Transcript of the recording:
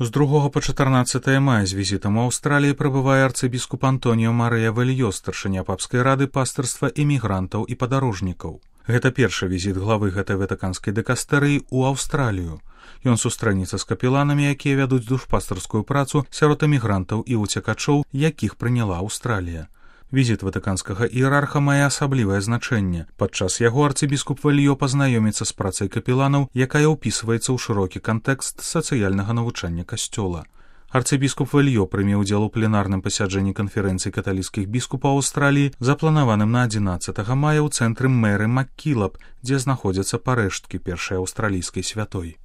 З 2 па 14 мая з візітам у Аўстраліі прыбывае арцыбіскуп Антоніо Марыя Вельё, старшыня папскай рады пастырства эмігрантаў і падарожнікаў. Гэта першы візіт главы гэтай ватыканскай дыкастэрыі ў Аўстралію. Ён сустрэнецца з капеланамі, якія вядуць душпастарскую працу сярод эмігрантаў і уцекачоў, якіх прыняла Аўстралія. Візіт ватыканскага іерарха мае асаблівае значэнне. Падчас яго арцыбіскуп Вельё пазнаёміцца з працай капеланаў, якая ўпісваецца ў шырокі кантэкст сацыяльнага навучання касцёла. Арцыбіскуп Вельё прыме ўдзел у пленарным пасяджэнні канферэнцыі каталіцкіх біскупаў Аўстраліі, запланаваным на 11 мая ў цэнтры Мэры Маккілап, дзе знаходзяцца парэшткі першай аўстралійскай святой.